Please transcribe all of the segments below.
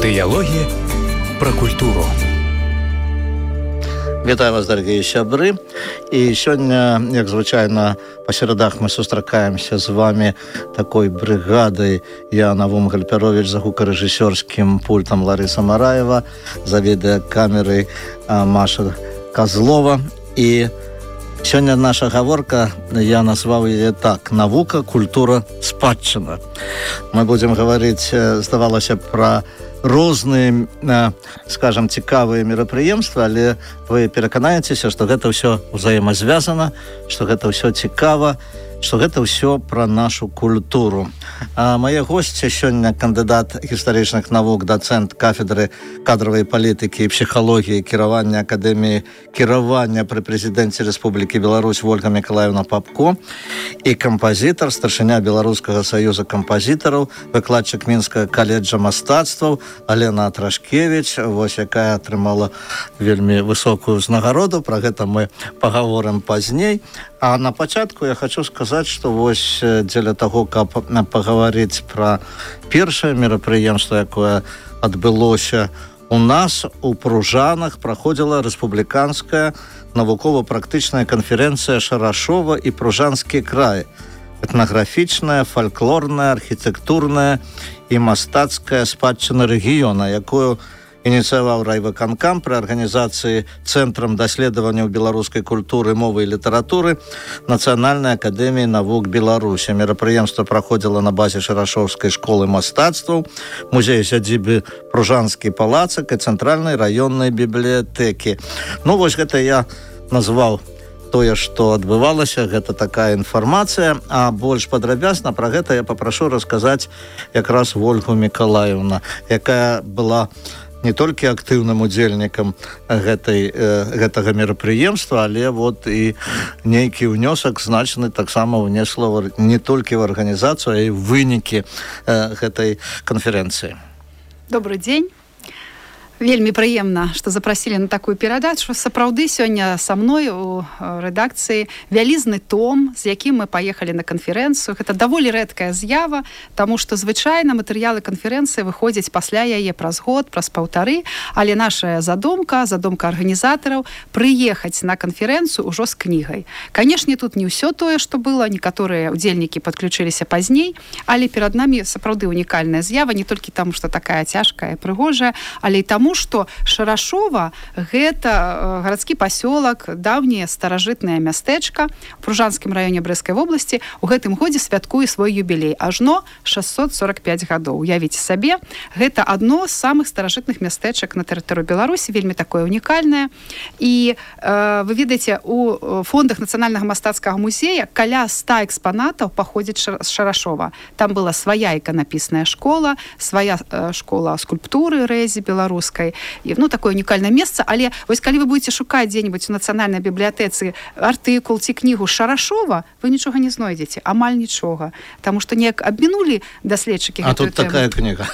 Дыялогі пра культуру. Вітаю вас, дарагія сябры. І сёння, як звычайна, па серадах мы сустракаемся з вами такой брыгадай. Я Навум Гальпярович, за гукарэжысёрскім пультам Ларыса Мараева, за відэакамерай Маша Козлова. І сёння наша гаворка, я назваў яе так: навука, культура, спадчына. Мы будзем гаварыць, здавалася, пра розныя, скажам, цікавыя мерапрыемствы, але вы пераканаецеся, што гэта ўсё ўзаемазвязана, што гэта ўсё цікава, што гэта ўсё пра нашу культуру. Мае госці сёння кандыдат гістарычных навук, дацэнт кафедры кадравай палітыкі і псіхалогіі кіравання Акадэміі кіравання пры прэзідэнце Рэспублікі Беларусь Ольга Мікалаевна Папко і кампазітар, старшыня Беларускага саюза кампазітараў, выкладчык Мінскага каледжа мастацтваў Алена Атрашкевіч, вось якая атрымала вельмі высокую ўзнагароду. Пра гэта мы пагаворым пазней. А на пачатку я хочу сказаць, што вось дзеля таго, каб пагаварыць пра першае мерапрыемства, якое адбылося у нас у Пружанах, праходзіла рэспубліканская навукова-практычная канферэнцыя Шарашова і Пружанскі край. Этнаграфічная, фальклорная, архітэктурная і мастацкая спадчына рэгіёна, якую ініцыяваў райвыканкам пры арганізацыі Цэнтрам даследаванняў беларускай культуры, мовы і літаратуры Нацыянальнай акадэміі навук Беларусі. Мерапрыемства праходзіла на базе Шарашоўскай школы мастацтваў, музея сядзібы Пружанскі палацак і цэнтральнай раённай бібліятэкі. Ну, вось гэта я назваў тое, што адбывалася, гэта такая інфармацыя, а больш падрабязна пра гэта я папрашу расказаць якраз Ольгу Мікалаевну, якая была не толькі актыўным удзельнікам гэтага мерапрыемства, але вот і нейкі ўнёсак значны таксама ўнесла не толькі в арганізацыю, а і ў вынікі гэтай канферэнцыі. Добрый дзень. Вельмі прыемна, што запрасілі на такую перадачу. Сапраўды, сёння са мной у рэдакцыі вялізны том, з якім мы паехалі на канферэнцыю. Гэта даволі рэдкая з'ява, таму што звычайна матэрыялы канферэнцыі выходзяць пасля яе праз год, праз паўтары, але наша задумка арганізатараў прыехаць на канферэнцыю ўжо з кнігай. Канешне, тут не ўсё тое, што было, некаторыя удзельнікі падключыліся пазней, але перад намі сапраўды унікальная з'ява, не толькі таму, што такая цяжкая і прыгожая, але і таму, што Шарашова – гэта гарадскі пасёлак, даўняе старажытнае мястэчка у Пружанскім раёне Брэсцкай вобласці. У гэтым годзе святкуе свой юбілей. Ажно 645 гадоў. Уявіце сабе, гэта адно з самых старажытных мястэчак на тэрыторыі Беларусі, вельмі такое унікальнае. І вы ведаеце, у фондах Нацыянальнага мастацкага музея каля 100 экспанатаў паходзіць з Шарашова. Там была свая іканапісная школа, свая школа скульптуры рэзі беларускай. Ну, такое унікальнае месца, але вось калі вы будете шукаць дзе-нибудь у нацыянальнай бібліятэцы артыкул ці кнігу Шарашова, вы нічога не знойдзеце, амаль нічога, таму што неяк абмінулі даследчыкі гэтую тэму. Такая кніга.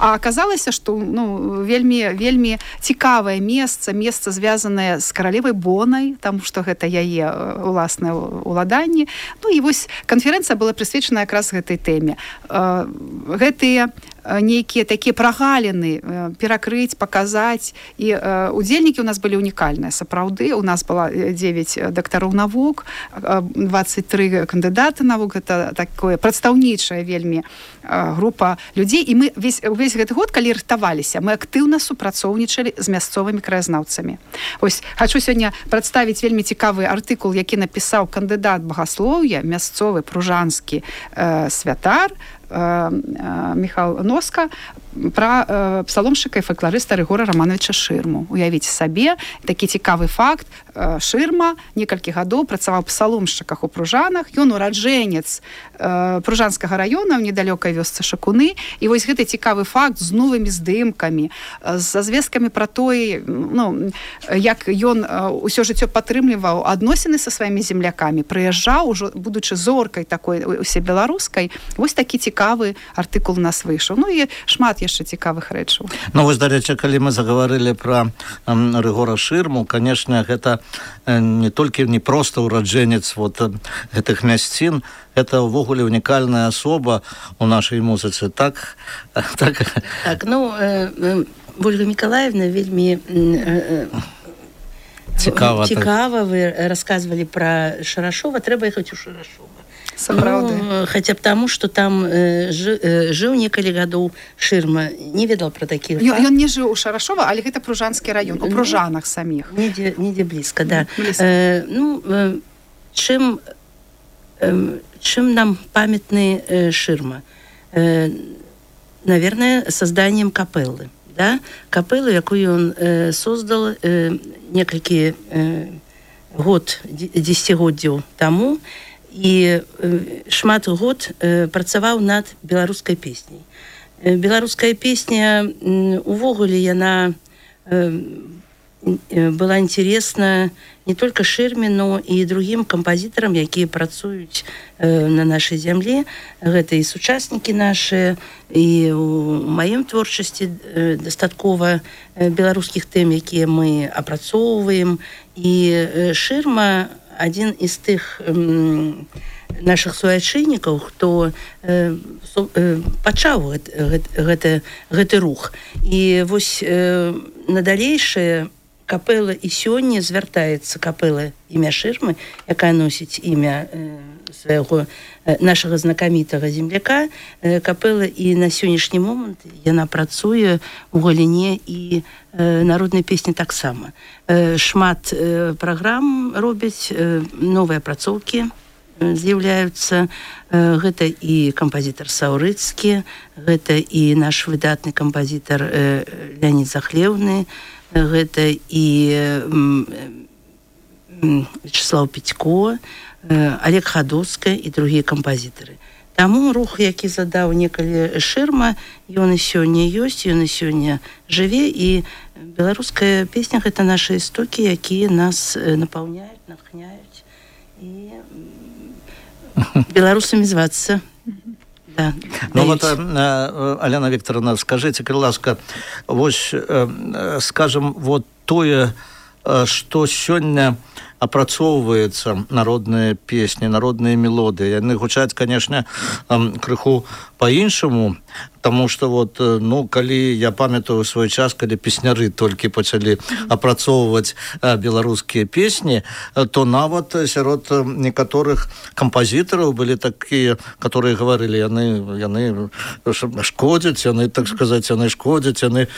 А аказалася, што вельмі цікавае месца звязанае з каралевай Бонай, таму што гэта яе уласнае уладанне. Ну і вось канферэнцыя была прысвечана якраз гэтай тэме. Гэтыя нейкія такія прагаліны перакрыць, паказаць. І удзельнікі у нас былі унікальныя. Сапраўды, у нас было 9 дактароў навук, 23 кандыдаты навук. Гэта такое прадстаўнічая вельмі група людзей. І мы увесь гэты год, калі рыхтаваліся, мы актыўна супрацоўнічалі з мясцовымі краязнаўцамі. Ось, хачу сёння прадставіць вельмі цікавы артыкул, які напісаў кандыдат багаслоўя, мясцовы пружанскі святар Міхал Носка пра псаломшчыка і фалькларыста Рыгора Рамановича Шырму. Уявіце сабе, такі цікавы факт. Шырма некалькі гадоў працаваў псаломшчыках у Пружанах. Ён ураджэнец Пружанскага раёна ў недалёкай вёсцы Шакуны. І вось гэты цікавы факт з новымі здымкамі, з звесткамі пра тое, як ён усё жыццё падтрымліваў адносіны са сваімі землякамі, прыязджаў, ужо будучы зоркай такой усебеларускай. Вось такі цікавы цікавы артыкул у нас выйшаў. Ну і шмат яшчэ цікавых рэчаў. Ну вось, дарэчы, калі мы загаварылі пра Рыгора Шырму, канешне, гэта не толькі не проста ураджэнец вот гэтых мясцін, это ўвогуле унікальная асоба у нашай музыцы. Так, ну, Ольга Миколаевна вельмі цікава вы расказвалі пра Шарашова, трэба ехаць у Шарашова. Ну, хотя б таму, што там жыў некалі гадоў Шырма, не ведал пра такіх. Ён не жыў у Шарашова, але гэта Пружанскі раён, у Пружанах саміх. Недзе блізка, да. Чым нам памятны Шырма? Наверное, созданием капеллы. Да? Капеллу, якую ён создал некалькі дзесяцігоддзяў таму, і шмат год працаваў над беларускай песняй. Беларуская песня, увогуле, яна была интересна не только Шырме, но и другим композиторам, якія працуюць на нашай зямле. Гэта і сучаснікі наши, і у маім творчасці дастаткова беларускіх тэм, якія мы апрацоўваем. І Шырма адзін из тых наших суайчыннікаў, хто пачаў гэты рух. І вось на далейшае капэла і сёння звяртаецца капэла імя Шырмы, якая носіць імя свайго нашага знакамітага земляка. Капэла і на сённяшні момант яна працуе у галіне і народнай песні таксама. Шмат праграм робяць, новыя апрацоўкі з'яўляюцца. Гэта і кампазітар Саўрыцкі, гэта і наш выдатны кампазітар Леонід Захлеўны, гэта і Вячеслав Петько, Олег Хадоўска і другія кампазітары. Таму рух, які задаў некалі Шырма, ён і сёння ёсць, ён і сёння жыве, і беларуская песня — гэта нашы істокі, якія нас напаўняюць, натхняюць, і беларусамі звацца. Да, ну вот, Алена Викторовна, скажите, калі ласка, вось, скажем, вот тое, што сёння апрацоўваецца, народныя песні, народныя мелодыі, яны гучаць, конечно, крыху по-іншаму, потому что вот, ну, калі я памятаю свой час, калі песняры толькі пачалі апрацоўваць беларускія песні, то нават сярод некаторых кампазітараў былі такія, которые говорили, яны шкодзяць, яны, так сказаць, яны шкодзяць, яны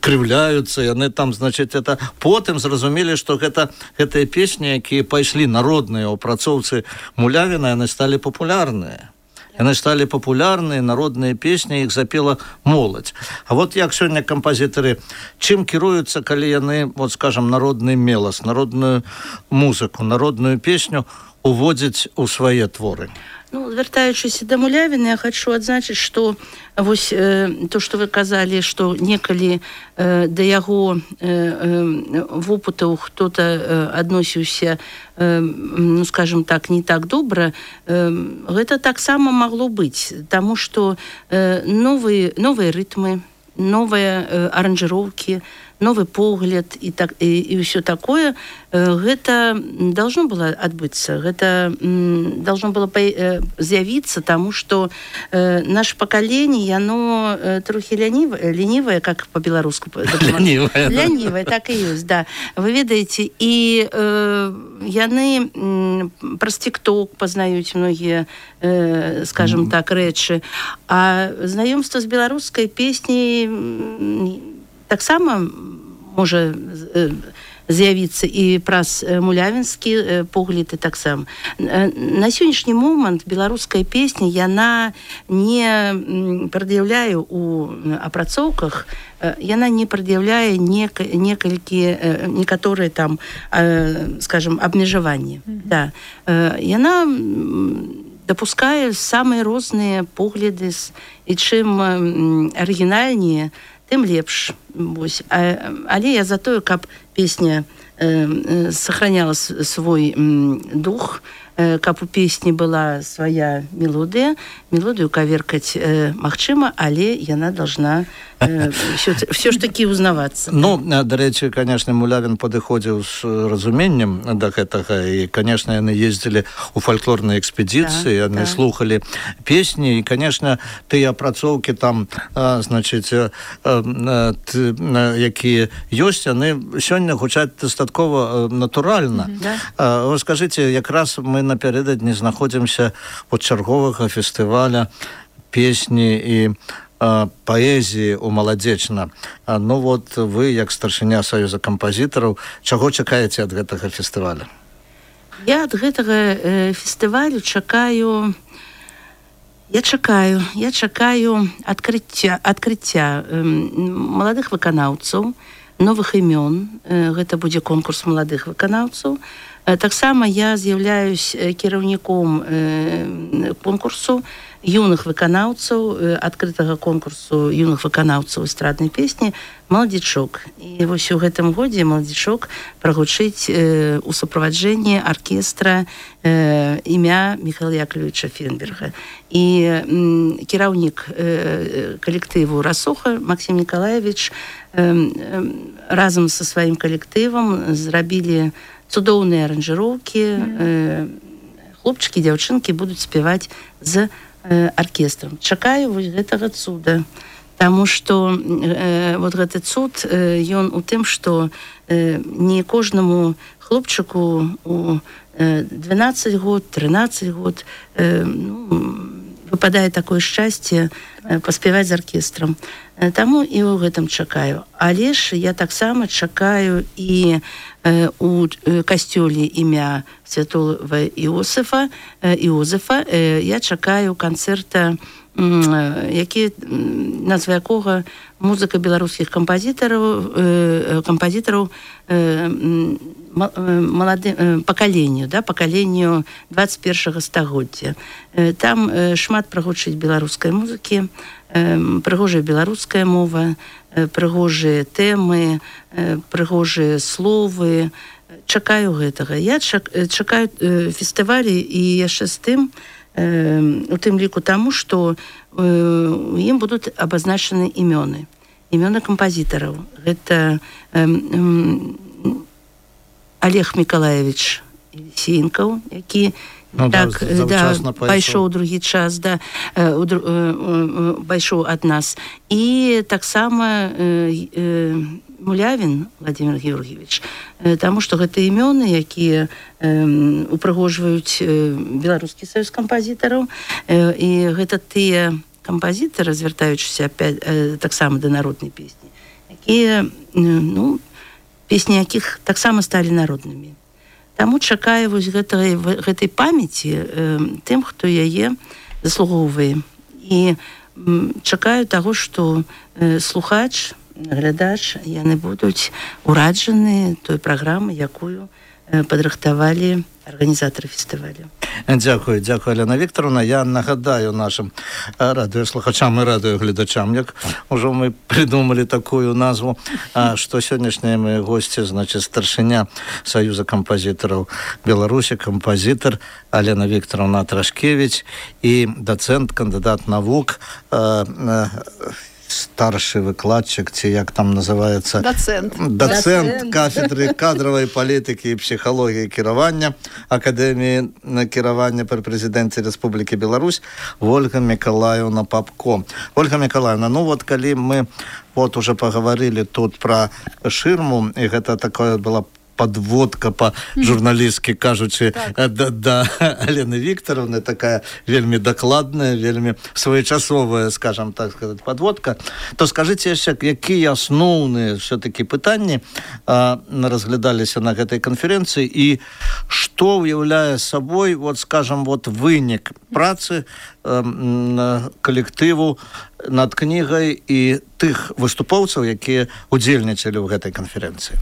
крыўляюцца, яны там, значит, это потым зразумелі, што гэтыя песні, якія пайшлі народныя ў апрацоўцы Мулявіна, яны сталі папулярныя. Яны сталі папулярныя, народныя песні, іх запела моладзь. А вот як сёння кампазітары, чым кіруюцца, калі яны, вот скажем, народны мелас, народную музыку, народную песню уводзяць у свае творы? Ну, звяртаючыся да Мулявіна, я хочу адзначыць, што вось то, што вы казалі, што некалі да яго вопытаў хто-то адносіўся, ну, скажем так, не так добра, гэта таксама магло быць, таму што новыя рытмы, новыя аранжыроўкі, новый погляд и все такое, гэта должно было адбыцца, гэта должно было з'явіцца, тому что наше поколение, оно трохи ленивое, как по-беларуску. Ленивое, так и есть, да. Вы ведаеце, и яны праз TikTok познаюць многие, скажем так, рэчы, а знаёмство с беларускай песней таксама можа з'явіцца і праз мулявінскі погляд і таксама. На сённяшні момант беларуская песня, яна не прад'яўляе у апрацоўках, яна не прад'яўляе некаторыя там, скажем, абмежаванні. Да. Яна дапускае самыя розныя погляды, і чым арыгінальнее, тым лепш. Але я за тое, каб песня сохраняла свой дух, каб у песні была свая мелодыя. Мелодыю каверкаць магчыма, але яна должна все ж таки узнавацца. Ну, дарэчы, конечно, Мулявін падыходзіў з разуменнем да гэтага, і, конечно, яны ездзілі ў фальклорныя экспедыцыі, яны слухалі песні, і, конечно, тыя апрацоўкі там, значыць, якія ёсць, яны сёння гучаць дастаткова натуральна. Вы скажыце, якраз мы напярэдадні знаходзімся ад чарговага фестываля песні і паэзіі ў Маладзечна. Ну вот вы, як старшыня Саюза кампазітараў, чаго чакаеце ад гэтага фестываля? Я ад гэтага фестывалю чакаю адкрыцця маладых выканаўцаў, новых імён. Гэта будзе конкурс маладых выканаўцаў. Таксама я з'яўляюсь кіраўніком конкурсу юных выканаўцаў, адкрытага конкурсу юных выканаўцаў эстраднай песні «Маладзічок». І вось у гэтым годзе «Маладзічок» прагучыць у суправаджэнні аркестра імя Михаила Яковлевича Фенберга. І кіраўнік калектыву «Расоха» Максим Николаевич разам са сваім калектывам зрабілі цудоўныя аранжыроўкі. Хлопчыкі, дзяўчынкі будуць спяваць з аркестрам. Чакаю вось гэтага цуда, таму што вот гэты цуд, ён у тым, што не кожнаму хлопчыку у 12 год, 13 год выпадае такое шчасце паспяваць з аркестрам. Таму і ў гэтым чакаю. Але ж я таксама чакаю і у касцёле імя святого Іосифа, я чакаю канцэрта, назва якога музыка беларускіх кампазітараў пакаленню 21 стагоддзя. Там шмат прагучыць беларускай музыкі, прыгожая беларуская мова, прыгожыя тэмы, прыгожыя словы. Чакаю гэтага. Я чакаю фестывалі і яшчэ з тым, у тым ліку таму, што у ім будуць абазначаны імёны кампазітараў. Гэта Олег Миколаевич Елисеенков, які пайшоў другі час, пайшоў ад нас. І таксама Мулявін Владимир Георгиевич, таму што гэта імёны, якія упрыгожваюць Беларускі саюз кампазітараў, і гэта тыя кампазітары, звяртаючыся таксама да народнай песні, якія, песні якіх таксама сталі народнымі. Таму чакаю вось гэтай памяці тым, хто яе заслугоўвае. І чакаю таго, што слухач, глядач, яны будуць ураджаны той праграмы, якую падрыхтавалі арганізатары фестывалю. Дзякую, Алена Вікторовна. Я нагадаю нашим радыёслухачам і радыёгледачам, як ужо мы придумали такую назву, што сённяшнія мои госці, значит, старшыня Саюза кампазітараў Беларусі, кампазітар Алена Вікторовна Трашкевич і дацэнт, кандыдат навук, старший выкладчик, ці як там называется, доцент кафедры кадровой политики и психологии кіравання Академии кіравання при президенте Республики Беларусь Ольга Миколаевна Попко. Ольга Миколаевна, ну вот коли мы вот уже поговорили тут про ширму, и это такое было подводка по-журналістски кажучи да Алены Вікторовны, такая вельмі дакладная, вельмі своечасовая, скажем так сказать, подводка, то скажите яшчэ, якія асноўныя все-таки пытанні разглядаліся на гэтай канференцыі і што ўяўляе сабой, вот скажем, вот вынік працы калектыву над кнігай і тых выступоўцаў, якія удзельнічалі ў гэтай канференцыі?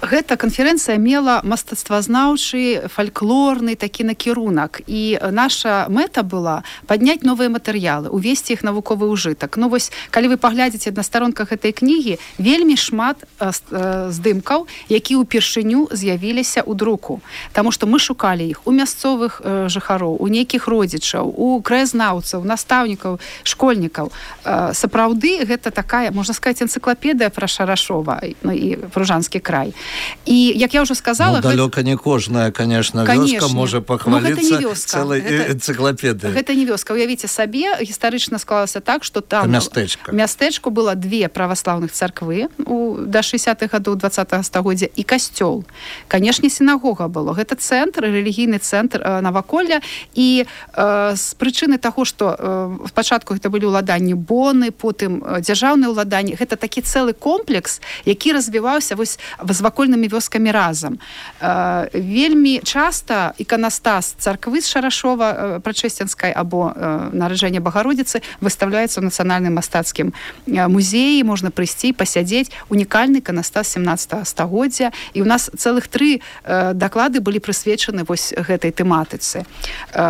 Гэта канферэнцыя мела мастацтвазнаўчы, фальклорны такі накірунак. І наша мэта была падняць новыя матэрыялы, увесці іх навуковы ўжытак. Ну вось, калі вы паглядзіце на старонках гэтай кнігі, вельмі шмат здымкаў, якія ўпершыню з'явіліся ў друку. Таму што мы шукалі іх у мясцовых жыхароў, у нейкіх родзічаў, у краязнаўцаў, настаўнікаў, школьнікаў. Сапраўды, гэта такая, можна сказаць, энцыклапедыя пра Шарашова і Пружанскі край. І, як я ўжо сказала... далёка не кожная, конечно, вёска можа пахваліцца цэлай энцыклапедыяй. Гэта не вёска. Уявіце сабе, гістарычна склалася так, што там... Мястэчку было 2 праваслаўных царквы да 60-х гадоў 20-го стагоддзя і касцёл. Канешне, сінагога было. Гэта цэнтр, рэлігійны цэнтр наваколля. І з прычыны таго, што спачатку гэта былі ўладанні боны, потым дзяржаўныя ўладанні, гэта такі цэлы комплекс, які развіваўся вось з вакольнымі вёскамі разам. Вельмі часта іканастас царквы з Шарашова Прачэсценскай або нараджэння Багародзіцы выстаўляецца ў нацыянальным мастацкім музеі, можна прыйсці, пасядзець. Унікальны іканастас 17 стагоддзя. І ў нас цэлых 3 даклады былі прысвечаны вось гэтай тэматыцы.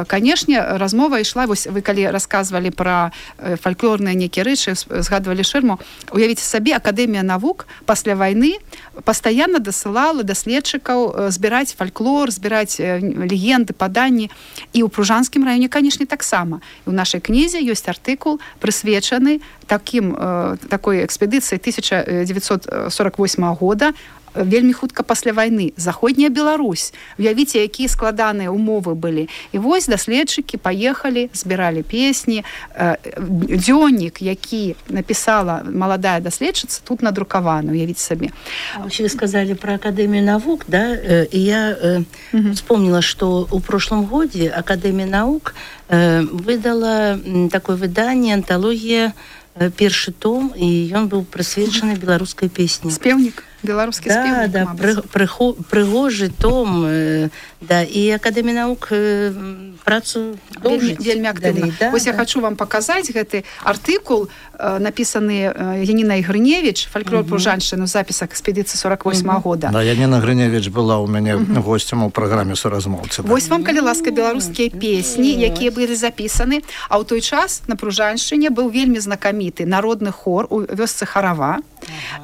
Канешне, размова ішла, вось вы калі расказвалі пра фальклорныя нейкія рэчы, згадвалі шырму, уявіце сабе, Акадэмія навук пасля вайны пастаянна дасылала даследчыкаў збіраць фальклор, збіраць легенды, паданні. І ў Пружанскім раёне, канешне, таксама. У нашай кнізе ёсць артыкул, прысвечаны такой экспедыцыі 1948 года, вельмі хутка пасля вайны. Заходняя Беларусь. Уявіце, якія складаныя умовы былі. І вось даследчыкі паехалі, збіралі песні. Дзённік, які напісала маладая даследчыца, тут надрукаваны, уявіце сабе. Вы сказали про Академию наук, да? И я вспомнила, что в прошлом году Академия наук выдала такое выдание, антология, першы том, і ён быў прысвечаны беларускай песні. Спевнік, беларускі спевнік. Да, прыгожы том, да, і Акадэмія навук працу вельмі актыўна. Вось я хочу вам паказаць гэты артыкул, напісаны Янінай Грыневіч, фальклор Пружаншчыны, у запісах экспедыцыі 48 года. Да, Яніна Грыневіч была ў мяне госцем у праграме «Суразмоўцы». Вось вам, калі ласка, беларускія песні, якія былі запісаны, а ў той час на Пружаншчыне быў вельмі знакаміты народны хор у вёсцы Харава,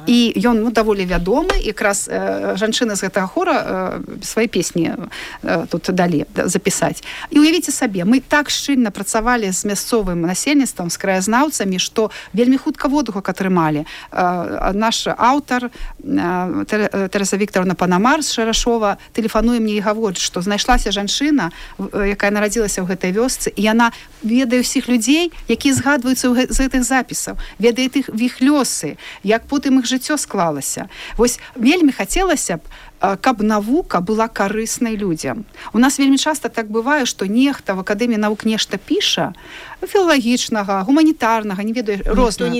і ён даволі вядомы, якраз жанчыны з гэтага хора свае песні тут далі запісаць. І уявіце сабе, мы так шчыльна працавалі з мясцовым насельніцтвам, з краязнаўцамі, што вельмі хутка водгук атрымалі. Наш аўтар Тэраса Віктараўна Панамар з Шарашова тэлефануе мне і гаворыць, што знайшлася жанчына, якая нарадзілася ў гэтай вёсцы, і яна ведае ўсіх людзей, якія згадваюцца з гэтых запісаў, ведае іх лёсы, як потым іх жыццё склалася. Вось вельмі хацелася б, каб навука была карыснай людзям. У нас вельмі часта так бывае, што нехта в Акадэміі навук нешта піша, філалагічнага, гуманітарнага, не ведаю, рознага.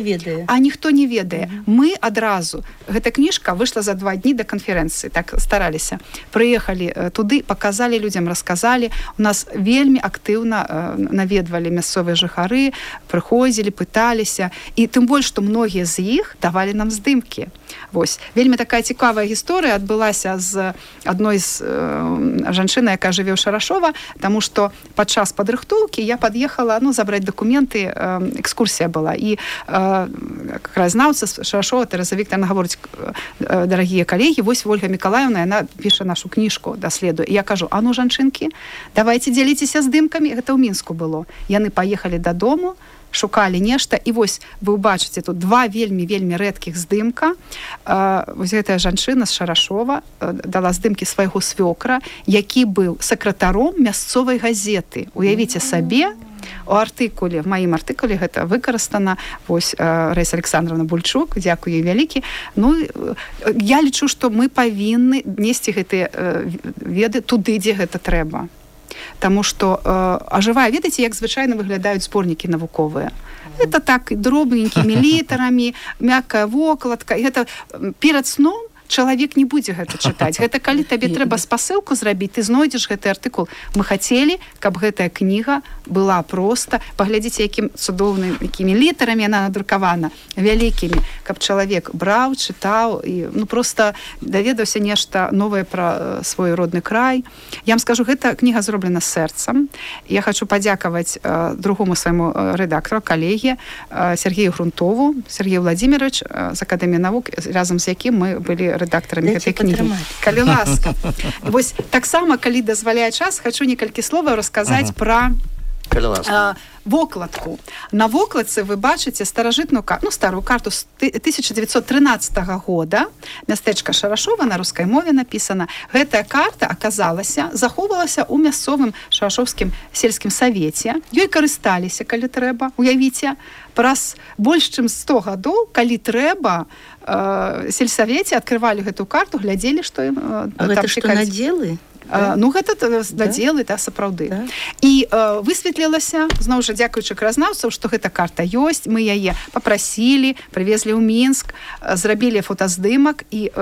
А ніхто не ведае. Мы адразу, гэта кніжка выйшла за 2 дні да канферэнцыі, так стараліся. Прыехалі туды, паказалі людзям, расказалі. У нас вельмі актыўна наведвалі мясцовыя жыхары, прыходзілі, пыталіся. І тым больш, што многія з іх давалі нам здымкі. Вось. Вельмі такая цікавая гісторыя адбылася з адной з жанчыны, якая жыве ў Шарашова, таму што падчас падрыхтоўкі я пад'ехала, забраць дакументы, экскурсія была. І краязнаўца з Шарашова Тэраса Віктараўна гаворыць: дарагія калегі, вось Ольга Мікалаевна, яна піша нашу кніжку, даследуе. І я кажу: а ну, жанчынкі, давайце дзяліцеся здымкамі. Гэта ў Мінску было. Яны паехалі дадому, шукалі нешта, і вось вы ўбачыце тут 2 вельмі рэдкіх здымка. Вось гэтая жанчына з Шарашова дала здымкі свайго свёкра, які быў сакратаром мясцовай газеты. Уявіце сабе, у артыкуле, в маім артыкуле гэта выкарыстана. Вось Раіса Александровна Бульчук, дзякую ёй вялікі. Ну, я лічу, што мы павінны несці гэтыя веды туды, дзе гэта трэба. Таму што ажывае, ведаеце, як звычайна выглядаюць зборнікі навуковыя. Гэта так дробненькімі літарамі, мяккая вокладка. І гэта перад сном чалавек не будзе гэта чытаць. Гэта калі табе трэба спасылку зрабіць, ты знойдзеш гэты артыкул. Мы хацелі, каб гэтая кніга была проста, паглядзіце, якім цудоўным, якімі літарамі яна надрукавана, вялікімі, каб чалавек браў, чытаў і проста даведаўся нешта новае пра свой родны край. Я вам скажу, гэта кніга зроблена сэрцам. Я хочу падзякаваць другому свайму рэдактару, калегі Сергею Грунтову, Сергею Владимирович з Акадэміі навук, разам з якім мы былі рэдактарамі гэтай кнігі. Калі ласка. Вось таксама, калі дазваляе час, хочу некалькі словаў расказаць пра вокладку. На вокладцы вы бачыце старажытную старую карту з 1913 года. Мястэчка Шарашова, на рускай мове напісана. Гэтая карта аказалася, захоўвалася ў мясцовым шарашоўскім сельскім савеце. Ёй карысталіся, калі трэба. Уявіце, праз больш чым 100 гадоў, калі трэба, сельсавеце адкрывалі гэтую карту, глядзелі, што ім там гэта што надзелы? Гэта надзелы, сапраўды. І высветлілася, зноў жа дзякуючы краязнаўцаў, што гэта карта ёсць, мы яе папрасілі, прывезлі ў Мінск, зрабілі фотаздымак, і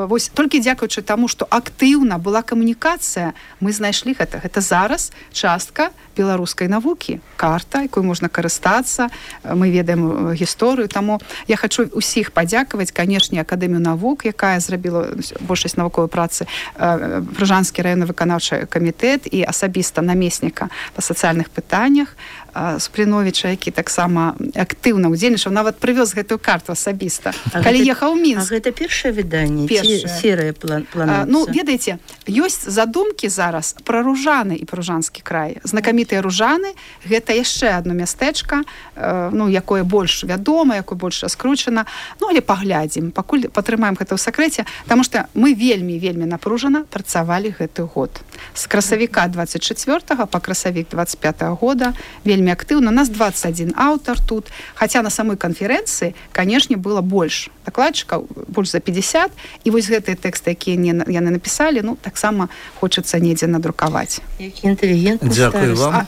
вось толькі дзякуючы таму, што актыўна была камунікацыя, мы знайшлі гэта. Гэта зараз частка беларускай навукі, карта, якой можна карыстацца, мы ведаем гісторыю, таму я хачу ўсіх падзякаваць, канешне, Акадэмію навук, якая зрабіла большасць навуковай працы, Прыжанскі районны выканаўчы камітэт і асабіста намесніка па сацыяльных пытаннях Супрыновіча, які таксама актыўна ўдзельнічаў, нават прывёз гэтую карту асабіста. Калі ехаў у Мінск. А гэта першае выданне? Серыя плануецца? Ведаеце, ёсць задумкі зараз пра Ружаны і Пружанскі край. Знакамітыя Ружаны — гэта яшчэ адно мястэчка, якое больш вядома, якое больш раскручана. Але паглядзім, пакуль патрымаем гэта ў сакрэце, таму што мы вельмі напружана працавалі гэты год. З красавіка 24 па красавік 25 года вельмі актыўна. У нас 21 аўтар тут, хаця на самой канферэнцыі, канешне, было больш дакладчыкаў, больш за 50, і вось гэтыя тэксты, якія яны напісалі, таксама хочацца недзе надрукаваць. Які інтэлігентны старост. Дзякую вам.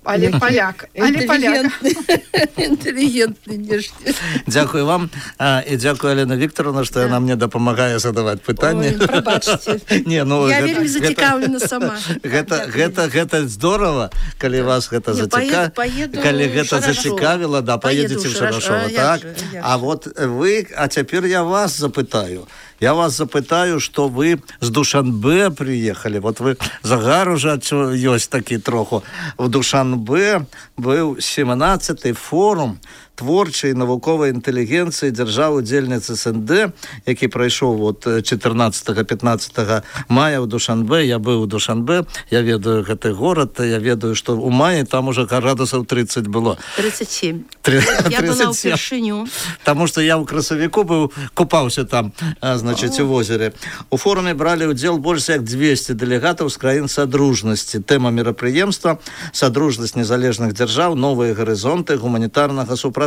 Але паляк. Інтэлігентны нешта. Дзякую вам. І дзякую, Алена Вікторовна, што яна мне дапамагае задаваць пытанні. Ой, прабачце. Я вельмі зацікаўлена сама. Гэта здорава, калі вас гэта зацікавіла. Калі гэта зацікавіла, паедзеце ў Шарашова. Так? А вот вы, а цяпер я вас запытаю. Я вас запытаю, што вы з Душанбе прыехалі. Вот вы загар ужо ёсць такі троху. В Душанбе быў 17-й форум творчай навуковай інтэлігенцыі дзяржаў-удзельніц СНД, які прайшоў 14-15 мая ў Душанбе. Я быў у Душанбе, я ведаю гэты горад, я ведаю, што ў маі там уже градусаў 30 было. 37. Я была ўпершыню. Таму што я ў красавіку быў, купаўся там, у возеры. У форуме бралі ўдзел больш як 200 дэлегатаў з краін Садружнасці. Тэма мерапрыемства — садружнасць незалежных дзяржаў, новыя гарызонты гуманітарнага супрацоўніцтва.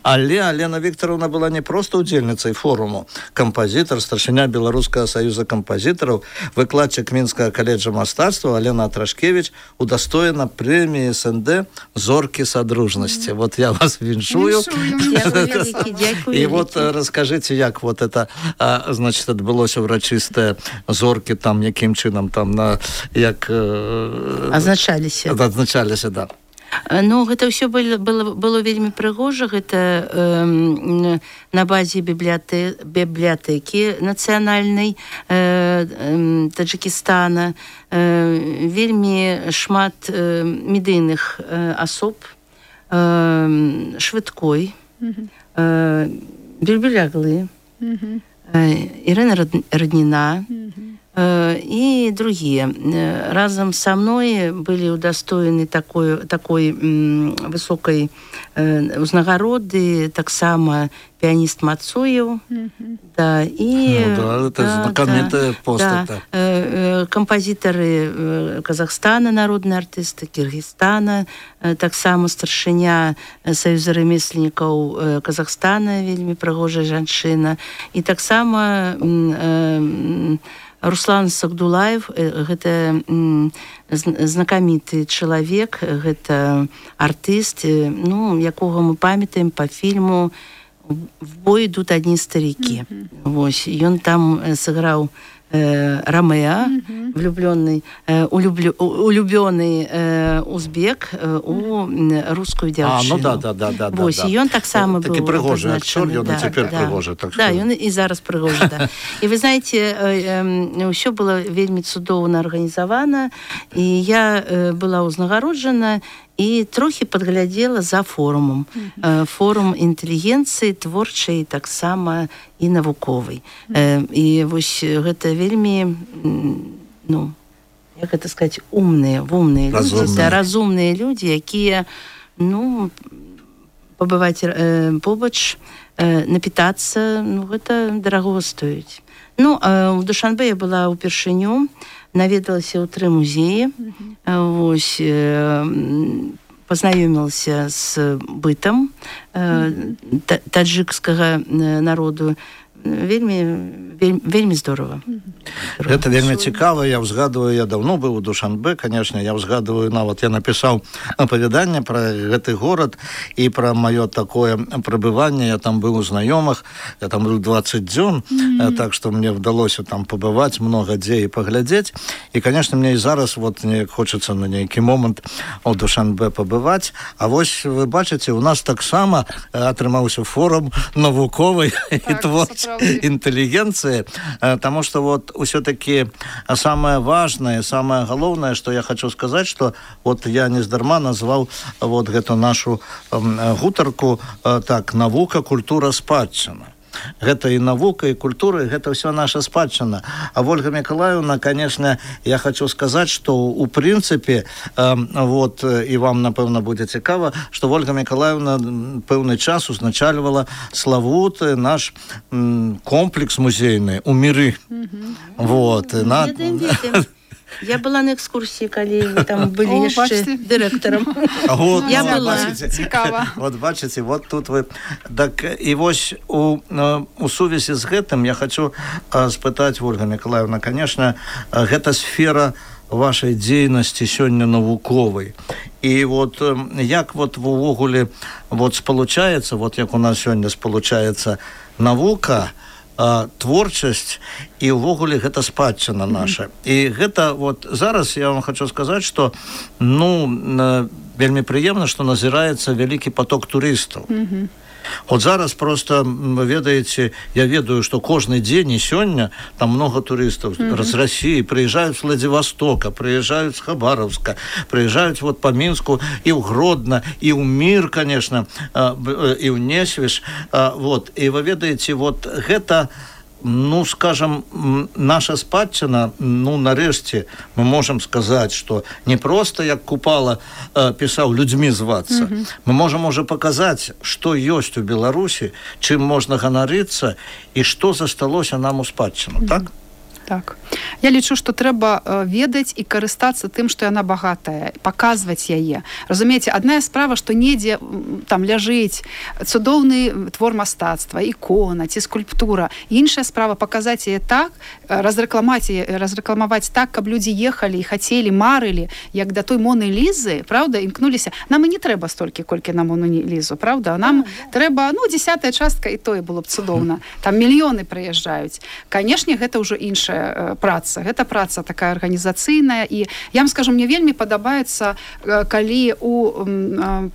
Але Алена Вікторовна была не проста удзельніцай форуму. Кампазітар, старшыня Беларускага саюза кампазітараў, выкладчык Мінскага каледжа мастацтва Алена Атрашкевіч удастоена прэміі СНД «Зоркі садружнасці». Вот я вас віншую. І вот раскажыце, як вот это, значит, адбылося ўрачыстае зоркі, там, якім чынам там, як... Адзначаліся, да. Гэта ўсё было вельмі прыгожа. Гэта на базе бібліятэкі нацыянальнай Таджыкістана. Вельмі шмат медыйных асоб, Швыдкой, Бельбеляглы, Ірына Радніна і другие. Разом со мной были удостоены такой высокой узнагароды, таксама пианист Мацуев, да, и это знакомитая постать, композиторы Казахстана, народные артисты Киргизстана, таксама старшыня Саюза ремесленников Казахстана, вельмі прыгожая жанчына, и таксама Руслан Сагдулаев, гэта знакаміты чалавек, гэта артыст, якога мы памятаем по фильму в бой ідут адні старікі. Вось, ён там сыграў Ромео, улюбленный узбек у русскую девчину. Да. Вось, і ён таксама быў такі прыгожы актор, ён і цяпер прыгожы. Да, ён і зараз прыгожы, да. І вы знаете, ўсё было вельмі цудоўна арганізавана, і я была ўзнагароджана і трохі падглядзела за форумам. Форум інтэлігенцыі творчай, таксама і навуковай. І вось гэта вельмі, ну, як гэта сказаць, умныя людзі, разумныя людзі, якія, ну, пабываць побач, напітацца, ну, гэта дараго стоіць. Ну, у Душанбе я была ўпершыню, наведалася ў 3 музеі, вось, познаёмілася з бытам таджикскага народу. Вельмі здорово. Гэта вельмі цікава. Я ўзгадываю, я даўно быў у Душанбе, конечно, я ўзгадываю, нават я напісаў апавяданне пра гэты горад і пра маё такое прабыванне. Я там быў у знаёмых, я там быў 20 дзён, так што мне ўдалося там пабываць, многа дзе і паглядзець. І, конечно, мне і зараз вот неяк хочацца на нейкі момант у Душанбе пабываць. А вось вы бачыце, у нас таксама атрымаўся форум навуковай і творчай интеллигенции, потому что вот все-таки самое важное, самое головное, что я хочу сказать, что вот я нездарма назвал вот эту нашу гутарку так, навука, культура, спадчына. Гэта і навука, і культура, і гэта ўсё наша спадчына. А Ольга Миколаевна, конечно, я хочу сказать, что у прынцыпе, вот, і вам, напэўна, будзе цікава, что Ольга Миколаевна пэўны час узначальвала славуты наш комплекс музейны у Міры. Вот. Я была на экскурсии, калі вы там были яшчэ дырэктарам. Я была. Цікава. Вот бачыце, вот тут вы... Так, і вось у сувязі з гэтым я хочу спытаць, Ольга Миколаевна, конечно, гэта сфера вашай дзейнасці сёння навуковай. І вот як вот увогуле вот спалучаецца, вот як у нас сёння спалучаецца навука, творчасць і ўвогуле гэта спадчына наша. І гэта вот зараз я вам хочу сказаць, што ну вельмі прыемна, што назіраецца вялікі поток турыстаў. Вот зараз просто, вы ведаеце, я ведаю, что кожны дзень і сёння там много туристов з России приезжают с Владивостока, приезжают с Хабаровска, приезжают вот по Минску и в Гродно, и в Мир, конечно, и в Несвіж. Вот. И вы ведаеце, вот гэта, ну, скажем, наша спадчына, ну, нарэшце мы можем сказать, что не просто, як Купала писал, людьми зваться. Мы можем уже показать, что есть у Беларуси, чым можно ганарыцца и что засталося нам у спадчыну, так? Так. Я лічу, што трэба ведаць і карыстацца тым, што яна багатая, паказваць яе. Разумееце, адная справа, што недзе там ляжыць цудоўны твор мастацтва, ікона ці скульптура. Іншая справа паказаць яе так, разрэкламаваць так, каб людзі ехалі і хацелі, марылі, як да той Моны Лізы, правда, імкнуліся. Нам і не трэба столькі, колькі на Мону Лізу, правда? Нам трэба, ну, 10-я частка, і тое было б цудоўна. Там мільёны прыязджаюць. Канешне, гэта ўжо іншая праца. Гэта праца такая арганізацыйная, і я вам скажу, мне вельмі падабаецца, калі у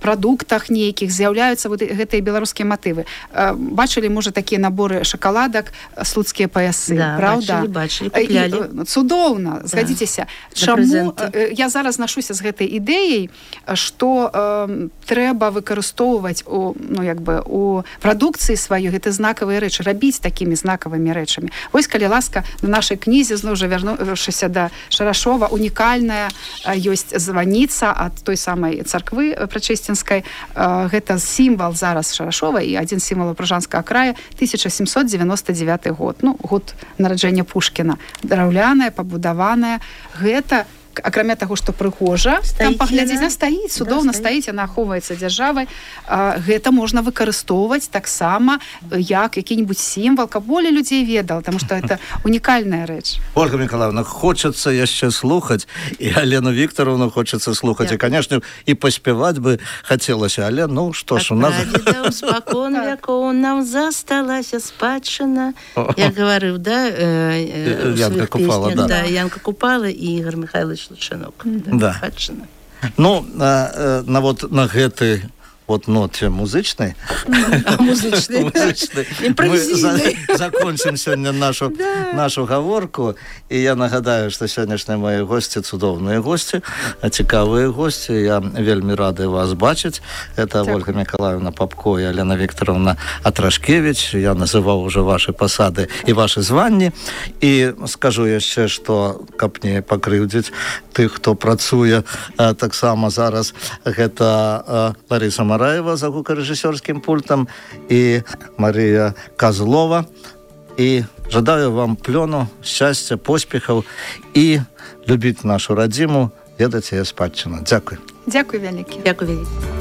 прадуктах нейкіх з'яўляюцца вот гэтыя беларускія матывы. Бачылі, можа, такія наборы шакаладак, слуцкія паясы, да, правда? Бачылі, куплялі. Цудоўна. Згадзіцеся, чаму я зараз нашуся з гэтай ідэяй, што трэба выкарыстоўваць ну, як бы, у прадукцыі сваёй гэты знакавыя рэчы, рабіць такімі знакавымі рэчамі. Вось, калі ласка, на нашай кнізе, зноў жа вярнуўшыся да Шарашова, унікальная ёсць званіца ад той самай царквы прачысцінскай. Гэта сімвал зараз Шарашова і адзін з сімвалаў Пражанскага края, 1799 год. Ну, год нараджэння Пушкіна. Драўляная, пабудаваная. Гэта акрамя таго, што прыгожа там паглядзець, яна стаіць, цудоўна стаіць, яна ахоўваецца дзяржавай. Гэта можна выкарыстоўваць таксама як які-нибудь сімвал, каб болей людзей ведала, таму што это унікальная рэч. Ольга Миколаевна, хочацца яшчэ слухаць, і Алену Вікторовну хочацца слухаць, і, канешне, і паспяваць бы хацелася, але, ну, што ж, у нас... Прадзедаў спакон вякоў нам засталася спадчына. Я говорил, да, Янка Купала, да. Да, Янка Купала и Игорь Михайлович Лучанок. Да. Спадчына. Ну, вот на гэты вот ноте музычнай. Музычнай. Мы закончим сёння нашу гаворку. І я нагадаю, што сённяшнія мои госці цудоўныя госці, цікавыя госці. Я вельмі рады вас бачыць. Это Ольга Миколаевна Попко і Алена Вікторовна Атрашкевич. Я называў уже ваши пасады і ваши званні. І скажу яшчэ, што каб не пакрыўдзіць тых, хто працуе таксама зараз, гэта Лариса Мараева за гукарэжысёрскім пультам і Марія Козлова. І жадаю вам плёну, шчасця, поспехаў і любіць нашу радзіму, ведаць яе спадчыну. Дзякуй. Дзякуй вялікі. Дзякуй вялікі.